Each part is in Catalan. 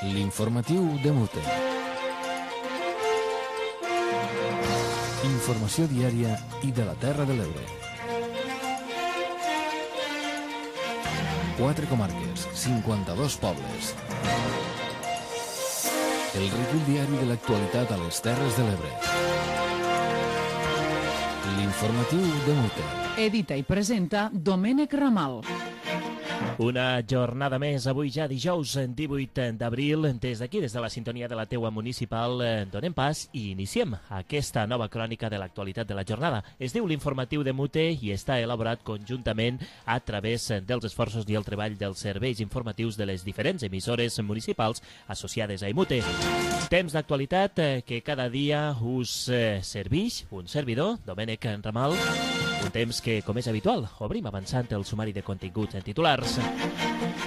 L'informatiu de Mute. Informació diària i de la Terra de l'Ebre. 4 comarques, 52 pobles. El recull diari de l'actualitat a les Terres de l'Ebre. L'informatiu de Mute. Edita i presenta Domènec Ramal. Una jornada més, avui ja dijous 18 d'abril. Des d'aquí, des de la sintonia de la teua municipal, donem pas i iniciem aquesta nova crònica de l'actualitat de la jornada. Es diu l'Informatiu de Mute i està elaborat conjuntament a través dels esforços i el treball dels serveis informatius de les diferents emissores municipals associades a Imute. Temps d'actualitat que cada dia us serveix un servidor, Domènec Ramal. Un temps que, com és habitual, obrim avançant el sumari de continguts en titulars.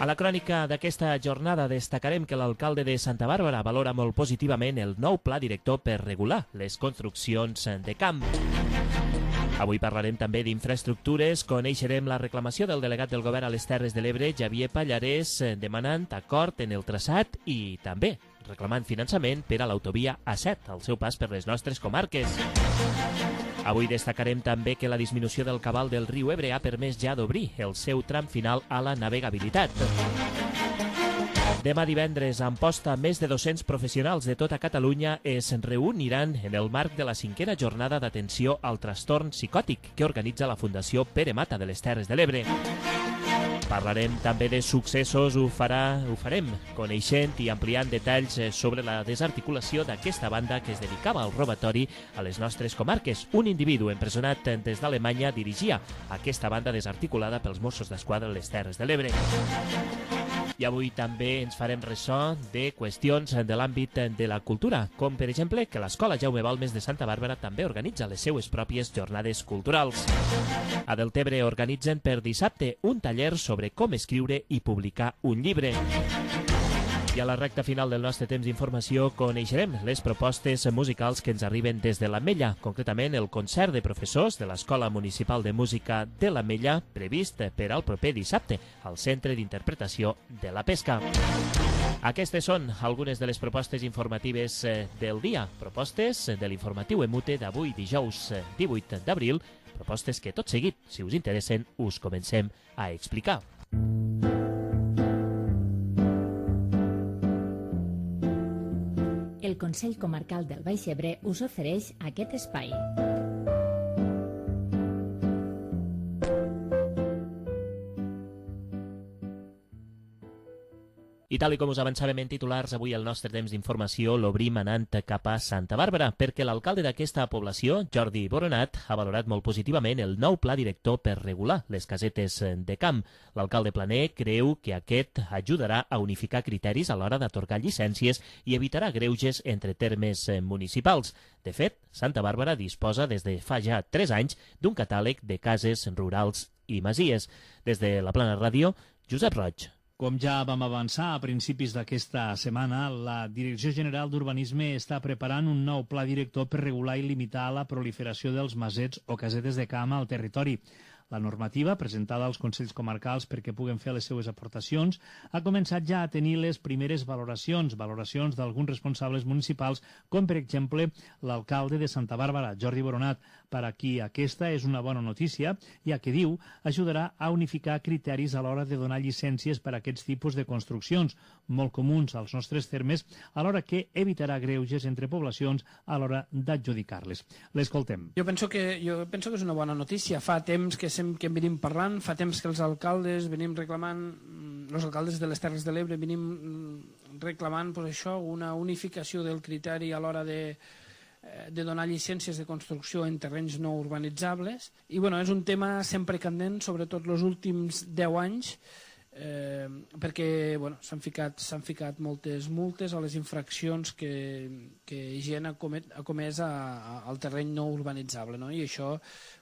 A la crònica d'aquesta jornada destacarem que l'alcalde de Santa Bàrbara valora molt positivament el nou pla director per regular les construccions de camp. Avui parlarem també d'infraestructures, coneixerem la reclamació del delegat del govern a les Terres de l'Ebre, Javier Pallarès, demanant acord en el traçat i també reclamant finançament per a l'autovia A7, al seu pas per les nostres comarques. Avui destacarem també que la disminució del cabal del riu Ebre ha permès ja d'obrir el seu tram final a la navegabilitat. Demà divendres, a Amposta, més de 200 professionals de tota Catalunya es reuniran en el marc de la 5a jornada d'atenció al trastorn psicòtic que organitza la Fundació Pere Mata de les Terres de l'Ebre. Parlarem també de successos, ho farem coneixent i ampliant detalls sobre la desarticulació d'aquesta banda que es dedicava al robatori a les nostres comarques. Un individu empresonat des d'Alemanya dirigia aquesta banda desarticulada pels Mossos d'Esquadra a les Terres de l'Ebre. I avui també ens farem ressò de qüestions de l'àmbit de la cultura, com per exemple que l'Escola Jaume Balmes de Santa Bàrbara també organitza les seues pròpies jornades culturals. A Deltebre organitzen per dissabte un taller sobre com escriure i publicar un llibre. I a la recta final del nostre temps d'informació coneixerem les propostes musicals que ens arriben des de l'Ametlla, concretament el concert de professors de l'Escola Municipal de Música de l'Ametlla, previst per al proper dissabte al Centre d'Interpretació de la Pesca. Aquestes són algunes de les propostes informatives del dia, propostes de l'informatiu Emute d'avui dijous 18 d'abril, propostes que tot seguit, si us interessen, us comencem a explicar. El Consell Comarcal del Baix Ebre us ofereix aquest espai. I tal com us avançàvem en titulars, avui el nostre temps d'informació l'obrim anant cap a Santa Bàrbara, perquè l'alcalde d'aquesta població, Jordi Boronat, ha valorat molt positivament el nou pla director per regular les casetes de camp. L'alcalde planer creu que aquest ajudarà a unificar criteris a l'hora d'atorgar llicències i evitarà greuges entre termes municipals. De fet, Santa Bàrbara disposa des de fa ja 3 anys d'un catàleg de cases rurals i masies. Des de la Plana Ràdio, Josep Roig. Com ja vam avançar a principis d'aquesta setmana, la Direcció General d'Urbanisme està preparant un nou pla director per regular i limitar la proliferació dels masets o casetes de camp al territori. La normativa, presentada als Consells Comarcals perquè puguen fer les seues aportacions, ha començat ja a tenir les primeres valoracions d'alguns responsables municipals, com per exemple l'alcalde de Santa Bàrbara, Jordi Boronat, per a qui aquesta és una bona notícia, ja que diu ajudarà a unificar criteris a l'hora de donar llicències per a aquests tipus de construccions, molt comuns als nostres termes, alhora que evitarà greuges entre poblacions a l'hora d'adjudicar-les. L'escoltem. Jo penso que és una bona notícia. Fa temps que en venim parlant, fa temps que els alcaldes venim reclamant, els alcaldes de les Terres de l'Ebre venim reclamant pues, això, una unificació del criteri a l'hora de donar llicències de construcció en terrenys no urbanitzables. I bueno, és un tema sempre candent, sobretot els últims 10 anys, perquè bueno, s'han ficat moltes multes a les infraccions que gent ha comès al terreny no urbanitzable, no? I això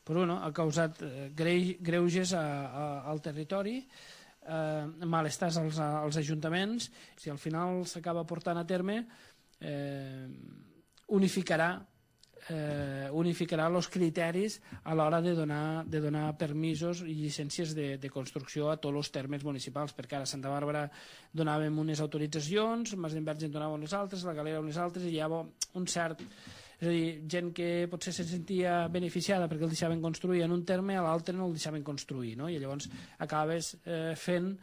però, bueno, ha causat greuges al territori, malestars als ajuntaments. Si al final s'acaba portant a terme, unificarà unificarà els criteris a l'hora de donar permisos i llicències de construcció a tots els termes municipals, perquè ara a Santa Bàrbara donàvem unes autoritzacions, Mas d'Enverge en donava unes altres, la Galera unes altres, i hi havia un cert... És a dir, gent que potser se sentia beneficiada perquè el deixaven construir en un terme, a l'altre no el deixaven construir, no? I llavors acabes fent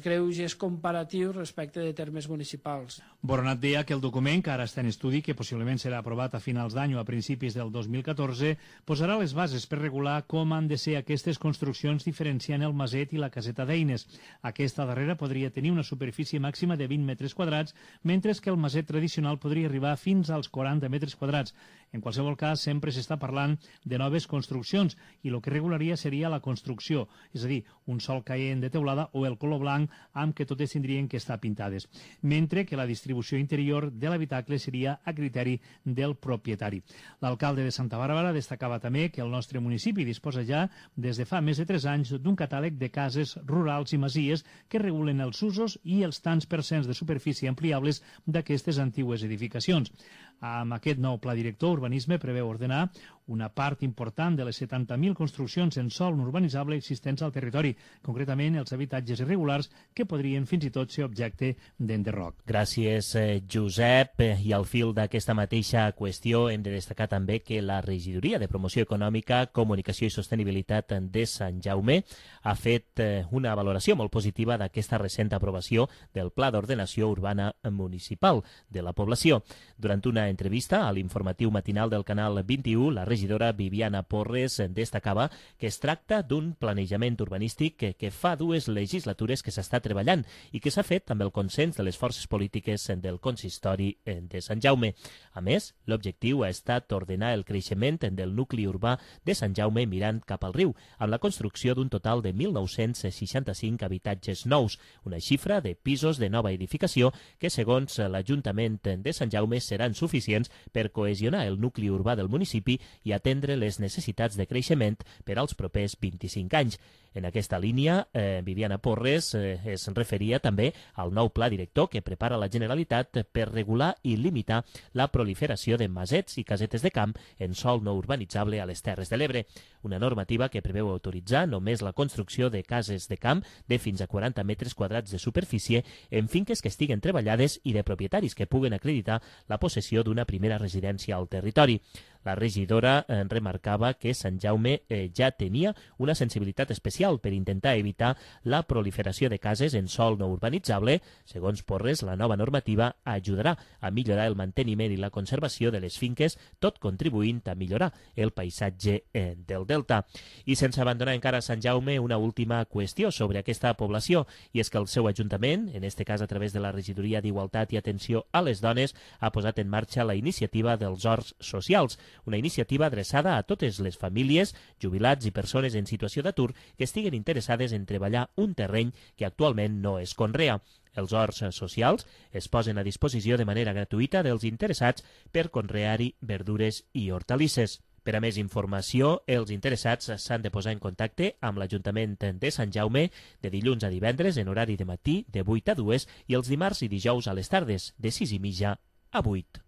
greuges comparatius respecte de termes municipals. Boronat deia que el document, que ara està en estudi, que possiblement serà aprovat a finals d'any o a principis del 2014, posarà les bases per regular com han de ser aquestes construccions diferenciant el maset i la caseta d'eines. Aquesta darrera podria tenir una superfície màxima de 20 metres quadrats, mentre que el maset tradicional podria arribar fins als 40 metres quadrats. En qualsevol cas, sempre s'està parlant de noves construccions i el que regularia seria la construcció, és a dir, un sol caient de teulada o el color blanc amb què totes tindrien que estar pintades, mentre que la distribució interior de l'habitacle seria a criteri del propietari. L'alcalde de Santa Bàrbara destacava també que el nostre municipi disposa ja des de fa més de 3 anys d'un catàleg de cases rurals i masies que regulen els usos i els tants percents de superfície ampliables d'aquestes antigues edificacions. Amb aquest nou pla director, Urbanisme preveu ordenar una part important de les 70.000 construccions en sòl no urbanitzable existents al territori, concretament els habitatges irregulars que podrien fins i tot ser objecte d'enderroc. Gràcies, Josep. I al fil d'aquesta mateixa qüestió hem de destacar també que la Regidoria de Promoció Econòmica, Comunicació i Sostenibilitat de Sant Jaume ha fet una valoració molt positiva d'aquesta recent aprovació del Pla d'Ordenació Urbana Municipal de la població. Durant una entrevista a l'informatiu matinal del Canal 21, la regidora Viviana Porres destacava que es tracta d'un planejament urbanístic que fa 2 legislatures que s'està treballant i que s'ha fet amb el consens de les forces polítiques del consistori de Sant Jaume. A més, l'objectiu ha estat ordenar el creixement del nucli urbà de Sant Jaume mirant cap al riu, amb la construcció d'un total de 1.965 habitatges nous, una xifra de pisos de nova edificació que, segons l'Ajuntament de Sant Jaume, seran suficients per cohesionar el nucli urbà del municipi i atendre les necessitats de creixement per als propers 25 anys. En aquesta línia, Viviana Porres es referia també al nou pla director que prepara la Generalitat per regular i limitar la proliferació de masets i casetes de camp en sòl no urbanitzable a les Terres de l'Ebre, una normativa que preveu autoritzar només la construcció de cases de camp de fins a 40 metres quadrats de superfície en finques que estiguen treballades i de propietaris que puguen acreditar la possessió d'una primera residència al territori. La regidora remarcava que Sant Jaume ja tenia una sensibilitat especial per intentar evitar la proliferació de cases en sòl no urbanitzable. Segons Porres, la nova normativa ajudarà a millorar el manteniment i la conservació de les finques, tot contribuint a millorar el paisatge del delta. I sense abandonar encara Sant Jaume, una última qüestió sobre aquesta població, i és que el seu ajuntament, en este cas a través de la Regidoria d'Igualtat i Atenció a les Dones, ha posat en marxa la iniciativa dels Horts Socials, una iniciativa adreçada a totes les famílies, jubilats i persones en situació d'atur que estiguen interessades en treballar un terreny que actualment no es conrea. Els horts socials es posen a disposició de manera gratuïta dels interessats per conrear-hi verdures i hortalisses. Per a més informació, els interessats s'han de posar en contacte amb l'Ajuntament de Sant Jaume de dilluns a divendres en horari de matí de 8 a 2 i els dimarts i dijous a les tardes de 6:30 a 8.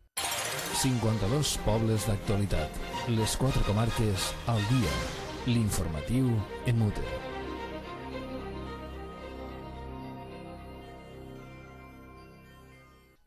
52 pobles d'actualitat. Les 4 comarques al dia. L'informatiu en Mute.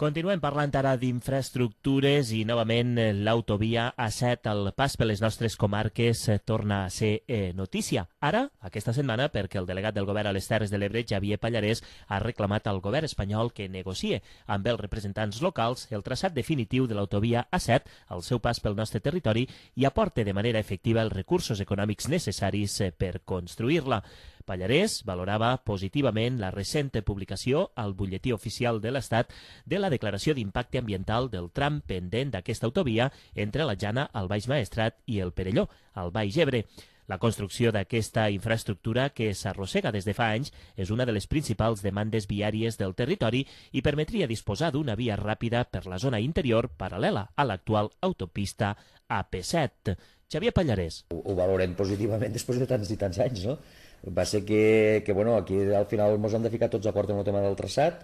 Continuem parlant ara d'infraestructures i novament l'autovia A7 al pas per les nostres comarques torna a ser notícia. Ara, aquesta setmana, perquè el delegat del govern a les Terres de l'Ebre, Xavier Pallarès, ha reclamat al govern espanyol que negocie amb els representants locals el traçat definitiu de l'autovia A7 al seu pas pel nostre territori i aporte de manera efectiva els recursos econòmics necessaris per construir-la. Pallarès valorava positivament la recent publicació al butlletí oficial de l'Estat de la declaració d'impacte ambiental del tram pendent d'aquesta autovia entre la Jana, el Baix Maestrat i el Perelló, al Baix Ebre. La construcció d'aquesta infraestructura, que s'arrossega des de fa anys, és una de les principals demandes viàries del territori i permetria disposar d'una via ràpida per la zona interior paral·lela a l'actual autopista AP7. Xavier Pallarès. Ho valorem positivament després de tants i tants anys, no? Va ser que bueno, aquí al final ens hem de ficar tots d'acord en el tema del traçat.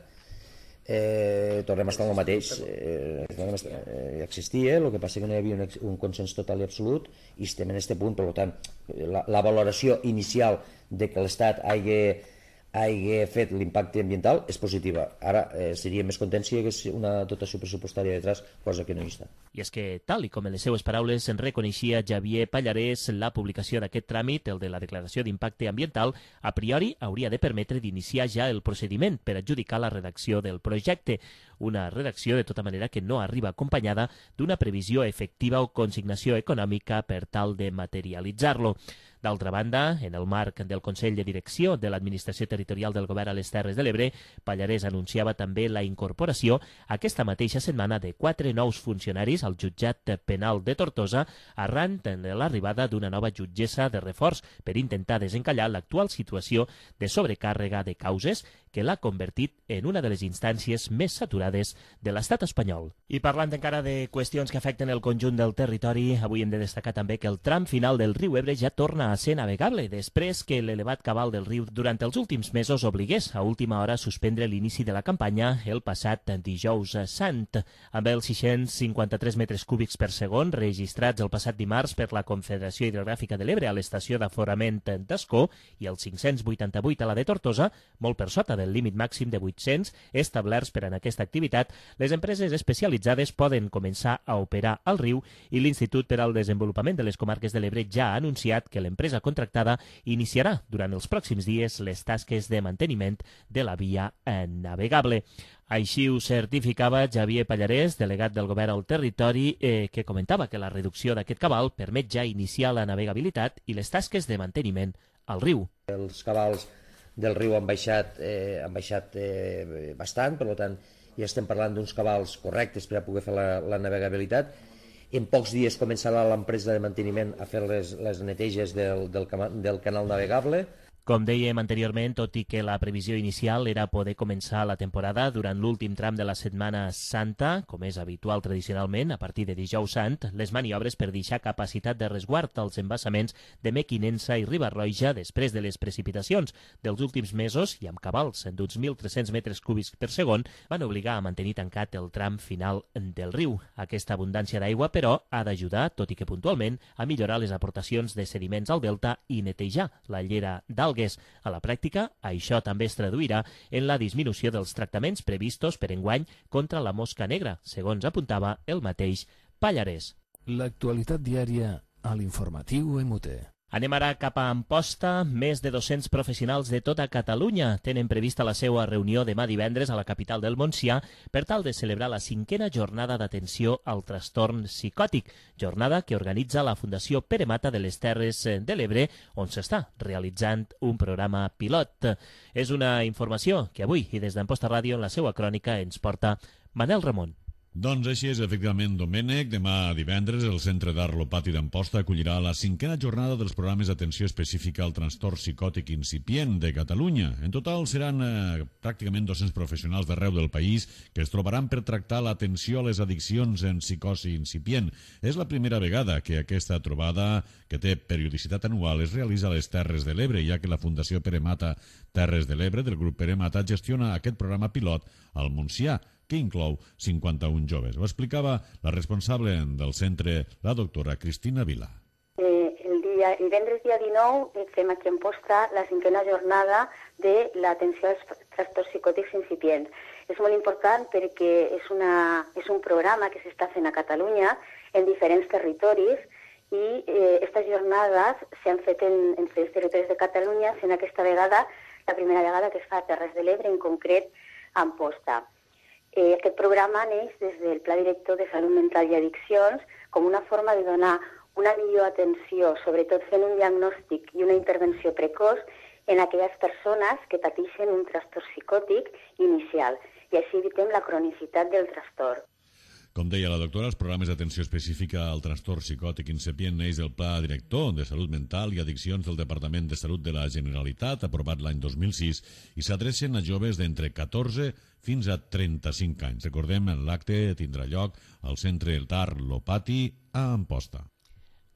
tornem a estar en el mateix. Existia, el que passa que no hi havia un consens total i absolut, i estem en aquest punt. Per tant, la valoració inicial de que l'Estat hagi fet l'impacte ambiental és positiva. Ara seria més content si hi hagués una dotació pressupostària detrás, cosa que no hi està. I és que, tal i com en les seues paraules en reconeixia Xavier Pallarès, la publicació d'aquest tràmit, el de la declaració d'impacte ambiental, a priori hauria de permetre d'iniciar ja el procediment per adjudicar la redacció del projecte. Una redacció, de tota manera, que no arriba acompanyada d'una previsió efectiva o consignació econòmica per tal de materialitzar-lo. D'altra banda, en el marc del Consell de Direcció de l'Administració Territorial del Govern a les Terres de l'Ebre, Pallarès anunciava també la incorporació aquesta mateixa setmana de 4 nous funcionaris al jutjat penal de Tortosa arran de l'arribada d'una nova jutgessa de reforç per intentar desencallar l'actual situació de sobrecàrrega de causes que l'ha convertit en una de les instàncies més saturades de l'estat espanyol. I parlant encara de qüestions que afecten el conjunt del territori, avui hem de destacar també que el tram final del riu Ebre ja torna a ser navegable després que l'elevat cabal del riu durant els últims mesos obligués a última hora a suspendre l'inici de la campanya el passat dijous sant. Amb els 653 metres cúbics per segon registrats el passat dimarts per la Confederació Hidrogràfica de l'Ebre a l'estació d'aforament d'Ascó i els 588 a la de Tortosa, molt per sota del límit màxim de 800 establerts per a aquesta activitat, les empreses especialitzades poden començar a operar al riu i l'Institut per al Desenvolupament de les Comarques de l'Ebre ja ha anunciat que l'empresa contractada iniciarà durant els pròxims dies les tasques de manteniment de la via navegable. Així ho certificava Xavier Pallarès, delegat del govern al territori, que comentava que la reducció d'aquest cabal permet ja iniciar la navegabilitat i les tasques de manteniment al riu. Els cabals del riu han baixat bastant, per tant ja estem parlant d'uns cabals correctes per a poder fer la navegabilitat. En pocs dies començarà l'empresa de manteniment a fer les neteges del canal navegable. Com dèiem anteriorment, tot i que la previsió inicial era poder començar la temporada durant l'últim tram de la Setmana Santa, com és habitual tradicionalment, a partir de dijous sant, les maniobres per deixar capacitat de resguard als embassaments de Mequinensa i Riba-roja després de les precipitacions dels últims mesos i amb cabals d'uns 1.300 metres cúbics per segon van obligar a mantenir tancat el tram final del riu. Aquesta abundància d'aigua, però, ha d'ajudar, tot i que puntualment, a millorar les aportacions de sediments al delta i netejar la llera d'algues. A la pràctica, això també es traduirà en la disminució dels tractaments previstos per enguany contra la mosca negra, segons apuntava el mateix Pallarès. L'actualitat diària a l'informatiu MUT. Anem ara cap a Amposta. Més de 200 professionals de tota Catalunya tenen prevista la seva reunió demà divendres a la capital del Montsià per tal de celebrar la 5a jornada d'atenció al trastorn psicòtic, jornada que organitza la Fundació Pere Mata de les Terres de l'Ebre, on s'està realitzant un programa pilot. És una informació que avui i des d'Amposta Ràdio en la seva crònica ens porta Manel Ramon. Doncs així és, efectivament, Domènec. Demà divendres el Centre d'Art Lopati d'Amposta acollirà la 5a jornada dels programes d'atenció específica al trastorn psicòtic incipient de Catalunya. En total seran pràcticament 200 professionals d'arreu del país que es trobaran per tractar l'atenció a les addiccions en psicosi incipient. És la primera vegada que aquesta trobada, que té periodicitat anual, es realitza a les Terres de l'Ebre, ja que la Fundació Pere Mata Terres de l'Ebre, del grup Pere Mata, gestiona aquest programa pilot al Montsià, que inclou 51 joves. Ho explicava la responsable del centre, la doctora Cristina Vila. El divendres dia 19 fem aquí a Amposta la 5a jornada de l'atenció als trastorns psicòtics incipients. És molt important perquè és un programa que s'està fent a Catalunya en diferents territoris i aquestes jornades s'han fet en diferents territoris de Catalunya, sent aquesta vegada la primera vegada que es fa a Terres de l'Ebre, en concret a Amposta. Aquest programa neix des del Pla Director de Salut Mental i Addiccions com una forma de donar una millor atenció, sobretot fent un diagnòstic i una intervenció precoç en aquelles persones que pateixen un trastorn psicòtic inicial i així evitem la cronicitat del trastorn. Com deia la doctora, els programes d'atenció específica al trastorn psicòtic incipient neix del Pla Director de Salut Mental i Addiccions del Departament de Salut de la Generalitat, aprovat l'any 2006, i s'adrecen a joves d'entre 14 fins a 35 anys. Recordem, l'acte tindrà lloc al Centre d'Art Lopati a Amposta.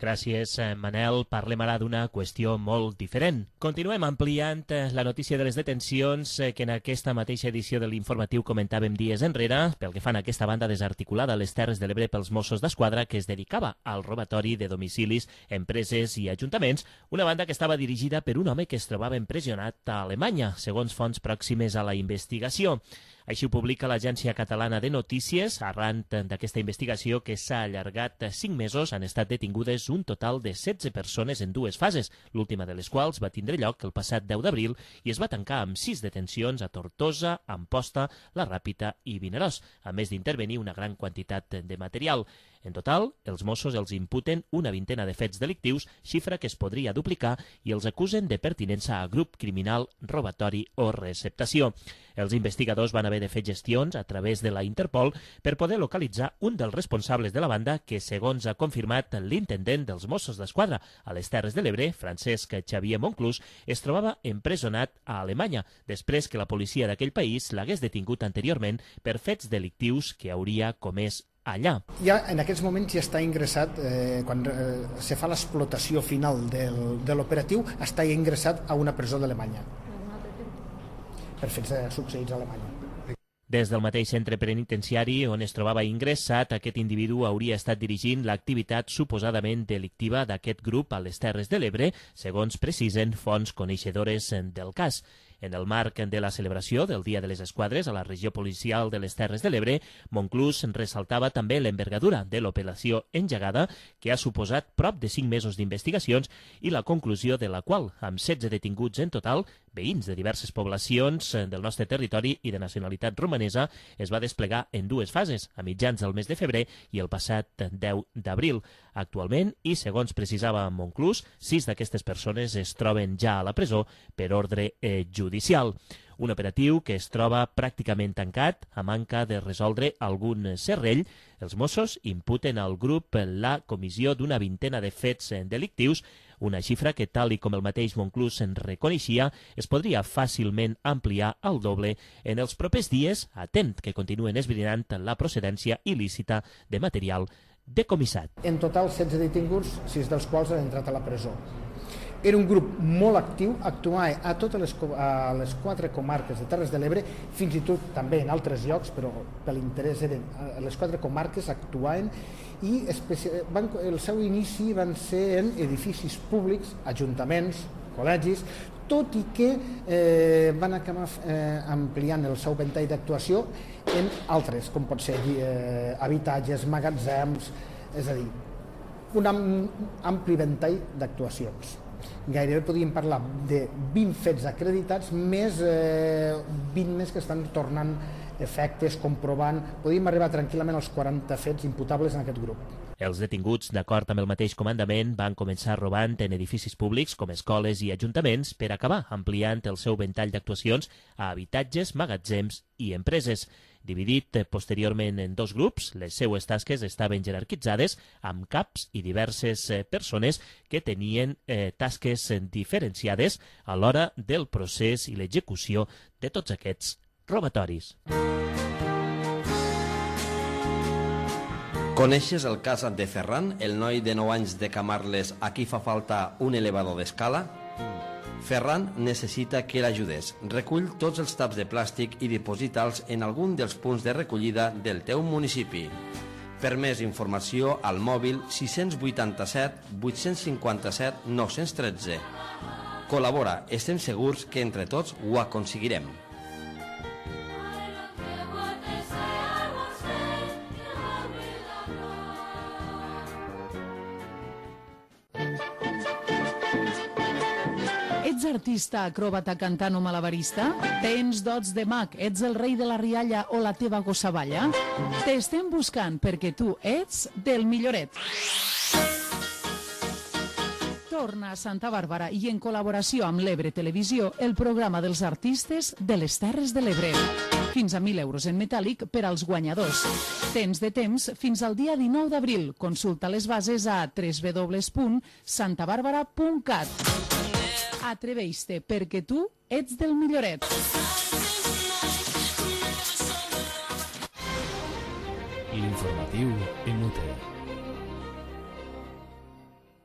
Gràcies, Manel. Parlem ara d'una qüestió molt diferent. Continuem ampliant la notícia de les detencions que en aquesta mateixa edició de l'informatiu comentàvem dies enrere, pel que fan a aquesta banda desarticulada a les Terres de l'Ebre pels Mossos d'Esquadra que es dedicava al robatori de domicilis, empreses i ajuntaments, una banda que estava dirigida per un home que es trobava empresonat a Alemanya, segons fonts pròximes a la investigació. Així ho publica l'Agència Catalana de Notícies. Arran d'aquesta investigació, que s'ha allargat 5 mesos, han estat detingudes un total de 16 persones en 2 fases, l'última de les quals va tindre lloc el passat 10 d'abril i es va tancar amb 6 detencions a Tortosa, Amposta, La Ràpita i Vinaròs, a més d'intervenir una gran quantitat de material. En total, els Mossos els imputen una vintena de fets delictius, xifra que es podria duplicar, i els acusen de pertinença a grup criminal, robatori o receptació. Els investigadors van haver de fer gestions a través de la Interpol per poder localitzar un dels responsables de la banda que, segons ha confirmat l'intendent dels Mossos d'Esquadra a les Terres de l'Ebre, Francesc Xavier Monclús, es trobava empresonat a Alemanya, després que la policia d'aquell país l'hagués detingut anteriorment per fets delictius que hauria comès allà. Ja en aquests moments ja està ingressat, quan se fa l'explotació final de l'operatiu, està ingressat a una presó d'Alemanya per fets succeïts a Alemanya. Des del mateix centre penitenciari on es trobava ingressat, aquest individu hauria estat dirigint l'activitat suposadament delictiva d'aquest grup a les Terres de l'Ebre, segons precisen fonts coneixedores del cas. En el marc de la celebració del Dia de les Esquadres a la regió policial de les Terres de l'Ebre, Monclús ressaltava també l'envergadura de l'operació engegada, que ha suposat prop de 5 mesos d'investigacions i la conclusió de la qual, amb 16 detinguts en total, veïns de diverses poblacions del nostre territori i de nacionalitat romanesa, es va desplegar en 2 fases, a mitjans del mes de febrer i el passat 10 d'abril. Actualment, i segons precisava Monclús, 6 d'aquestes persones es troben ja a la presó per ordre judicial. Un operatiu que es troba pràcticament tancat a manca de resoldre algun serrell. Els Mossos imputen al grup la comissió d'una vintena de fets delictius, una xifra que, tal i com el mateix Monclús en reconeixia, es podria fàcilment ampliar al doble en els propers dies, atent que continuen esbrinant la procedència il·lícita de material decomissat. En total, 16 detinguts, 6 dels quals han entrat a la presó. Era un grup molt actiu, actuava a totes les 4 comarques de Terres de l'Ebre, fins i tot també en altres llocs, però per l'interès eren les 4 comarques, actuaven, i el seu inici van ser en edificis públics, ajuntaments, col·legis, tot i que van acabar ampliant el seu ventall d'actuació en altres, com pot ser habitatges, magatzems, és a dir, un ampli ventall d'actuacions. Gairebé podríem parlar de 20 fets acreditats, més 20 més que estan tornant efectes, comprovant. Podríem arribar tranquil·lament als 40 fets imputables en aquest grup. Els detinguts, d'acord amb el mateix comandament, van començar robant en edificis públics com escoles i ajuntaments per acabar ampliant el seu ventall d'actuacions a habitatges, magatzems i empreses. Dividit posteriorment en 2 grups, les seues tasques estaven jerarquitzades amb caps i diverses persones que tenien tasques diferenciades a l'hora del procés i l'execució de tots aquests robatoris. Coneixes el cas de Ferran, el noi de 9 anys de Camarles a qui fa falta un elevador d'escala? Ferran necessita que l'ajudes. Recull tots els taps de plàstic i diposita'ls en algun dels punts de recollida del teu municipi. Per més informació, al mòbil 687 857 913. Col·labora, estem segurs que entre tots ho aconseguirem. Ets artista, acròbata, cantant o malabarista? Tens dots de mag, ets el rei de la rialla o la teva gossa balla? T'estem buscant perquè tu ets del milloret. Torna a Santa Bàrbara i en col·laboració amb l'Ebre Televisió el programa dels artistes de les Terres de l'Ebre. Fins a 1.000 euros en metàl·lic per als guanyadors. Tens de temps fins al dia 19 d'abril. Consulta les bases a www.santabarbara.cat. Atreveix-te perquè tu ets del milloret. L'informatiu en UTE.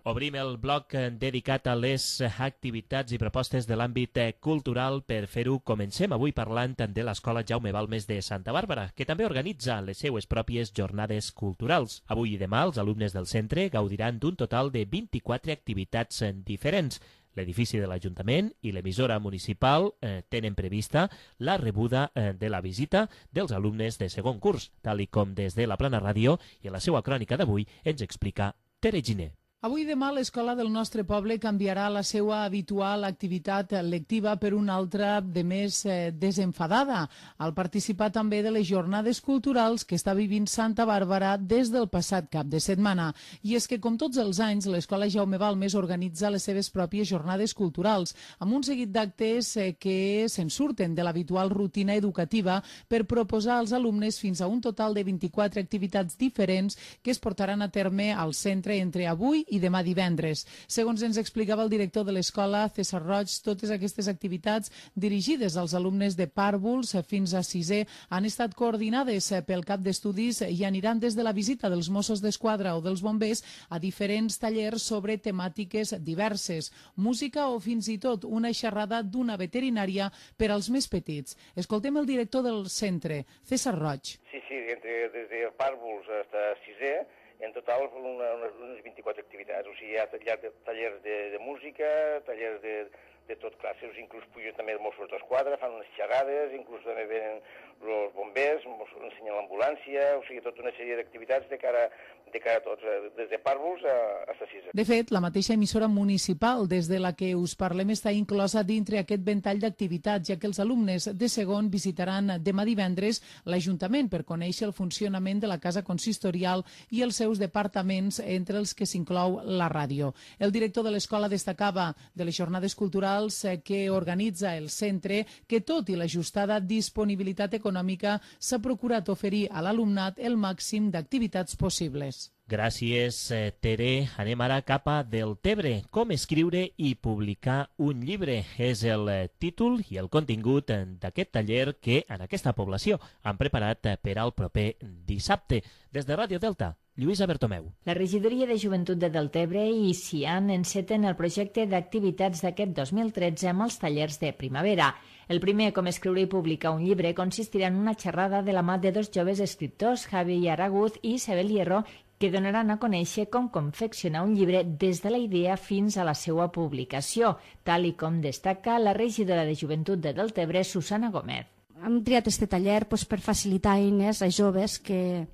Obrim el bloc dedicat a les activitats i propostes de l'àmbit cultural. Per fer-ho, comencem avui parlant de l'Escola Jaume Balmes de Santa Bàrbara, que també organitza les seues pròpies jornades culturals. Avui i demà els alumnes del centre gaudiran d'un total de 24 activitats diferents. L'edifici de l'Ajuntament i l'emissora municipal tenen prevista la rebuda de la visita dels alumnes de segon curs, tal com des de la Plana Ràdio, i en la seva crònica d'avui ens explica Tere Giner. Avui i demà l'escola del nostre poble canviarà la seva habitual activitat lectiva per una altra de més desenfadada, al participar també de les jornades culturals que està vivint Santa Bàrbara des del passat cap de setmana. I és que, com tots els anys, l'escola Jaume Balmes organitza les seves pròpies jornades culturals, amb un seguit d'actes que se'n surten de l'habitual rutina educativa per proposar als alumnes fins a un total de 24 activitats diferents que es portaran a terme al centre entre avui i demà divendres. Segons ens explicava el director de l'escola, César Roig, totes aquestes activitats dirigides als alumnes de pàrvuls fins a sisè han estat coordinades pel cap d'estudis i aniran des de la visita dels Mossos d'Esquadra o dels bombers a diferents tallers sobre temàtiques diverses, música o fins i tot una xerrada d'una veterinària per als més petits. Escoltem el director del centre, César Roig. Sí, des de pàrvuls fins a sisè, en total unes 24 activitats. O sigui, hi ha tallers de música, tallers de tot classes, inclús pugen també els Mossos d'Esquadra, fan unes xerrades, inclús també venen els bombers, ensenyen l'ambulància, o sigui, tota una sèrie d'activitats de cara a tots, des de pàrvuls a sisè. De fet, la mateixa emissora municipal des de la que us parlem està inclosa dintre aquest ventall d'activitats, ja que els alumnes de segon visitaran demà divendres l'Ajuntament per conèixer el funcionament de la Casa Consistorial i els seus departaments, entre els que s'inclou la ràdio. El director de l'escola destacava de les jornades culturals que organitza el centre que, tot i l'ajustada disponibilitat econòmica, s'ha procurat oferir a l'alumnat el màxim d'activitats possibles. Gràcies, Tere. Anem ara cap a Deltebre. Com escriure i publicar un llibre és el títol i el contingut d'aquest taller que en aquesta població han preparat per al proper dissabte. Des de Ràdio Delta, Lluïsa Bertomeu. La regidoria de Joventut de Deltebre i CIAN enceten el projecte d'activitats d'aquest 2013 amb els tallers de primavera. El primer, com escriure i publicar un llibre, consistirà en una xerrada de la mà de dos joves escriptors, Javi Araguz i Isabel Hierro, que donaran a conèixer com confeccionar un llibre des de la idea fins a la seva publicació, tal i com destaca la regidora de Joventut de Deltebre, Susana Gómez. Hem triat aquest taller per facilitar eines a joves que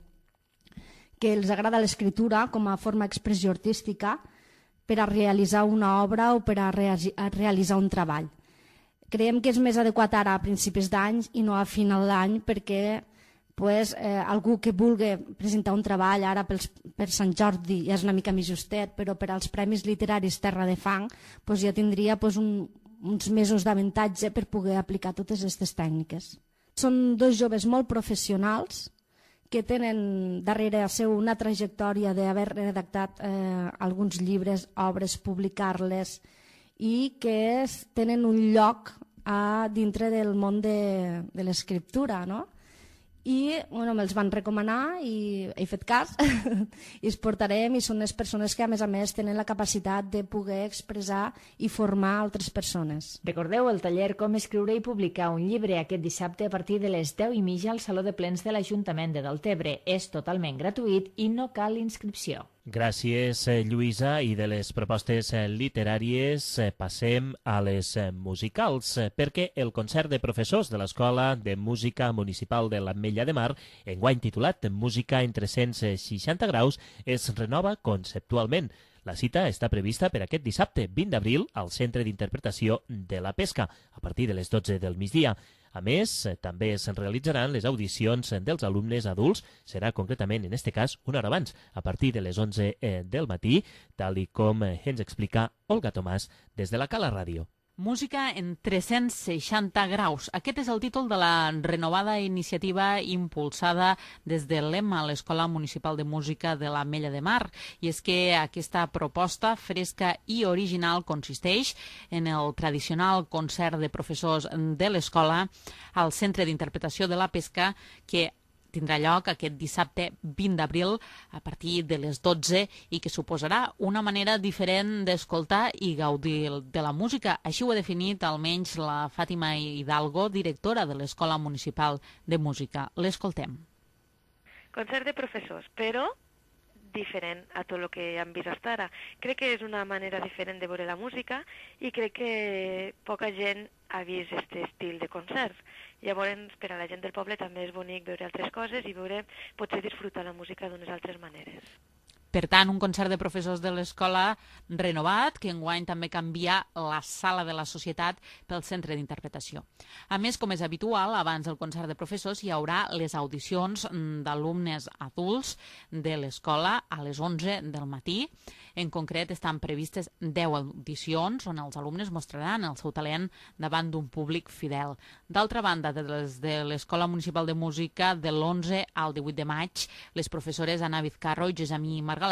els agrada l'escriptura com a forma d'expressió artística per a realitzar una obra o per a realitzar un treball. Creiem que és més adequat ara a principis d'any i no a final d'any perquè algú que vulgui presentar un treball ara per Sant Jordi ja és una mica més justet, però per als Premis Literaris Terra de Fang ja tindria uns mesos d'avantatge per poder aplicar totes aquestes tècniques. Són dos joves molt professionals que tenen darrere seu una trajectòria d'haver redactat alguns llibres, obres, publicar-les i que tenen un lloc dintre del món de l'escriptura, no? I me'ls van recomanar i he fet cas i els portarem i són les persones que a més tenen la capacitat de poder expressar i formar altres persones. Recordeu el taller Com escriure i publicar un llibre aquest dissabte a partir de les 10:30 al Saló de Plens de l'Ajuntament de Deltebre. És totalment gratuït i no cal inscripció. Gràcies, Lluïsa. I de les propostes literàries passem a les musicals, perquè el concert de professors de l'Escola de Música Municipal de l'Ametlla de Mar, enguany titulat Música en 360 graus, es renova conceptualment. La cita està prevista per aquest dissabte, 20 d'abril, al Centre d'Interpretació de la Pesca, a partir de les 12 del migdia. A més, també es realitzaran les audicions dels alumnes adults, serà concretament, en aquest cas, una hora abans, a partir de les 11 del matí, tal i com ens explica Olga Tomàs des de la Cala Ràdio. Música en 360 graus. Aquest és el títol de la renovada iniciativa impulsada des de l'EMA, l'Escola Municipal de Música de l'Ametlla de Mar. I és que aquesta proposta fresca i original consisteix en el tradicional concert de professors de l'escola al Centre d'Interpretació de la Pesca, que tindrà lloc aquest dissabte 20 d'abril a partir de les 12 i que suposarà una manera diferent d'escoltar i gaudir de la música. Així ho ha definit almenys la Fàtima Hidalgo, directora de l'Escola Municipal de Música. L'escoltem. Concert de professors, però diferent a tot el que hem vist fins ara. Crec que és una manera diferent de veure la música i crec que poca gent ha vist aquest estil de concerts. Llavors, per a la gent del poble també és bonic veure altres coses i veure, potser disfrutar la música d'unes altres maneres. Per tant, un concert de professors de l'escola renovat, que enguany també canvia la sala de la societat pel centre d'interpretació. A més, com és habitual, abans del concert de professors hi haurà les audicions d'alumnes adults de l'escola a les 11 del matí. En concret, estan previstes 10 audicions on els alumnes mostraran el seu talent davant d'un públic fidel. D'altra banda, des de l'Escola Municipal de Música, de l'11 al 18 de maig, les professores Anna Vizcarro i Gessamí Margalef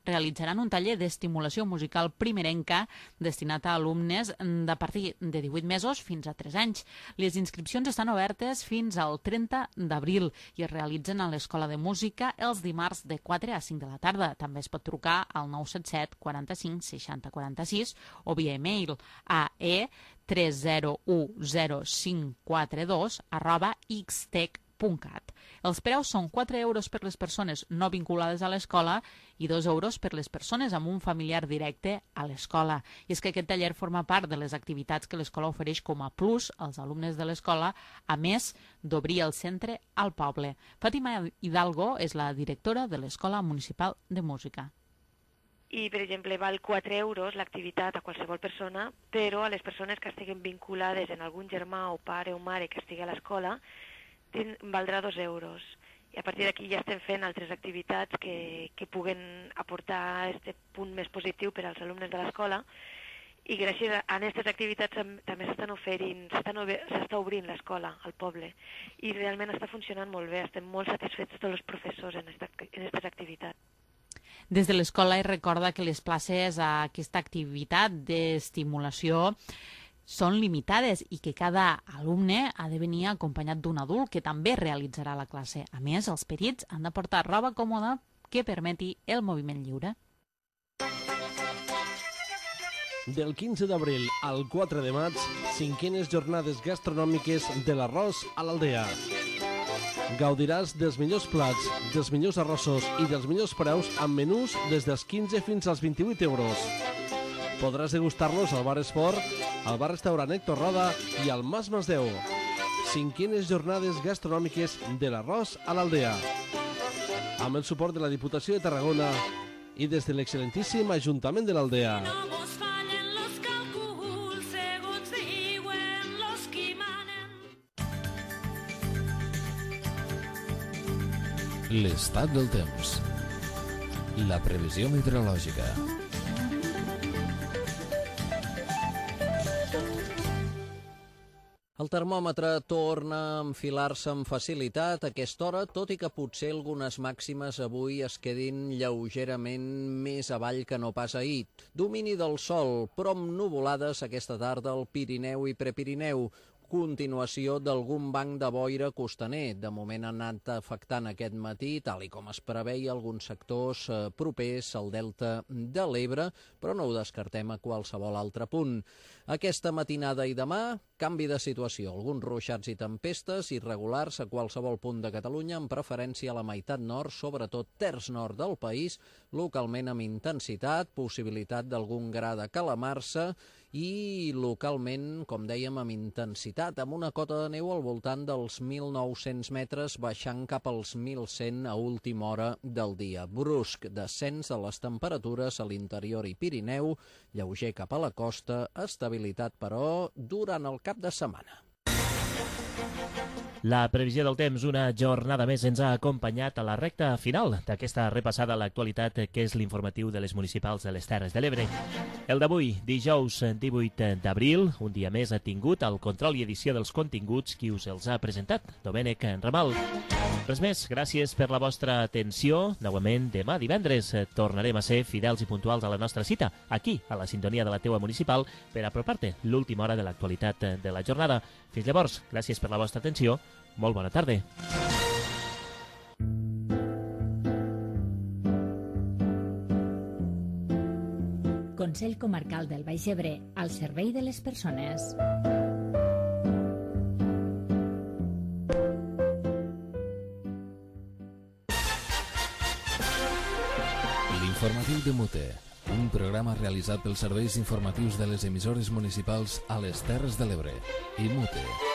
realitzaran un taller d'estimulació musical primerenca destinat a alumnes de partir de 18 mesos fins a 3 anys. Les inscripcions estan obertes fins al 30 d'abril i es realitzen a l'Escola de Música els dimarts de 4 a 5 de la tarda. També es pot trucar al 977 45 60 46 o via e-mail a e3010542@xtec.cat. Els preus són 4 euros per les persones no vinculades a l'escola i 2 euros per les persones amb un familiar directe a l'escola. I és que aquest taller forma part de les activitats que l'escola ofereix com a plus als alumnes de l'escola, a més d'obrir el centre al poble. Fàtima Hidalgo és la directora de l'Escola Municipal de Música. I, per exemple, val 4 euros l'activitat a qualsevol persona, però a les persones que estiguin vinculades en algun germà o pare o mare que estigui a l'escola, valdrà 2 euros. I a partir d'aquí ja estem fent altres activitats que puguen aportar aquest punt més positiu per als alumnes de l'escola i gràcies a aquestes activitats també s'està obrint l'escola al poble i realment està funcionant molt bé, estem molt satisfets tots els professors en aquestes activitats. Des de l'escola es recorda que les places a aquesta activitat d'estimulació són limitades i que cada alumne ha de venir acompanyat d'un adult que també realitzarà la classe. A més, els petits han de portar roba còmoda que permeti el moviment lliure. Del 15 d'abril al 4 de maig, 5enes jornades gastronòmiques de l'arròs a l'Aldea. Gaudiràs dels millors plats, dels millors arrossos i dels millors preus amb menús des dels 15 fins als 28 euros. Podràs degustar-los al Bar Esport, al bar-restaurant Héctor Roda i al Mas Masdeu. 5enes jornades gastronòmiques de l'arròs a l'Aldea. Amb el suport de la Diputació de Tarragona i des de l'excel·lentíssim Ajuntament de l'Aldea. L'estat del temps. La previsió meteorològica. El termòmetre torna a enfilar-se amb facilitat a aquesta hora, tot i que potser algunes màximes avui es quedin lleugerament més avall que no pas ahir. Domini del sol, però amb nuvolades aquesta tarda al Pirineu i Prepirineu. Continuació d'algun banc de boira costaner. De moment ha anat afectant aquest matí, tal i com es preveia, alguns sectors propers al delta de l'Ebre, però no ho descartem a qualsevol altre punt. Aquesta matinada i demà, canvi de situació. Alguns ruixats i tempestes irregulars a qualsevol punt de Catalunya, amb preferència a la meitat nord, sobretot terç nord del país, localment amb intensitat, possibilitat d'algun gra de calamarsa i localment, com dèiem, amb intensitat, amb una cota de neu al voltant dels 1.900 metres, baixant cap als 1.100 a última hora del dia. Brusc descens de les temperatures a l'interior i Pirineu, lleuger cap a la costa, estabilitat, però, durant el cap de setmana. La previsió del temps, una jornada més, ens ha acompanyat a la recta final d'aquesta repassada a l'actualitat que és l'informatiu de les municipals de les Terres de l'Ebre. El d'avui, dijous 18 d'abril, un dia més ha tingut el control i edició dels continguts qui us els ha presentat, Domènec Ramal. Res més, gràcies per la vostra atenció. Novament, demà divendres tornarem a ser fidels i puntuals a la nostra cita, aquí, a la sintonia de la teua municipal, per apropar-te l'última hora de l'actualitat de la jornada. Fins llavors, gràcies per la vostra atenció. Molt bona tarda. Consell Comarcal del Baix Ebre, al servei de les persones. L'informatiu de Mute, un programa realitzat pels serveis informatius de les emissores municipals a les Terres de l'Ebre i Mute.